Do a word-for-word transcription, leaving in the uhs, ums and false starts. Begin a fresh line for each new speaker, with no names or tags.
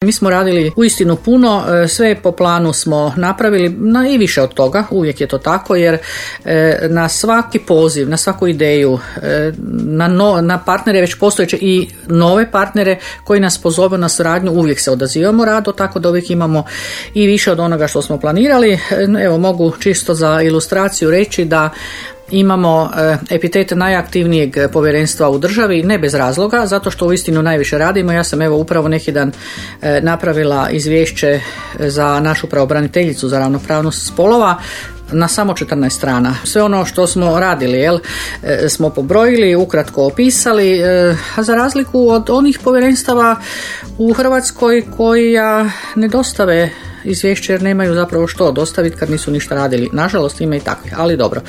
Mi smo radili uistinu puno, sve po planu smo napravili, na i više od toga, uvijek je to tako, jer na svaki poziv, na svaku ideju, na, no, na partnere već postojeće i nove partnere koji nas pozove na suradnju, uvijek se odazivamo rado, tako da uvijek imamo i više od onoga što smo planirali. Evo, mogu čisto za ilustraciju reći da imamo epitet najaktivnijeg povjerenstva u državi, ne bez razloga, zato što uistinu najviše radimo. Ja sam evo upravo neki dan napravila izvješće za našu pravobraniteljicu za ravnopravnost spolova na samo četrnaest strana. Sve ono što smo radili, jel, smo pobrojili, ukratko opisali, a za razliku od onih povjerenstava u Hrvatskoj koja ne dostave izvješće jer nemaju zapravo što dostaviti kad nisu ništa radili. Nažalost ima i takvih, ali dobro.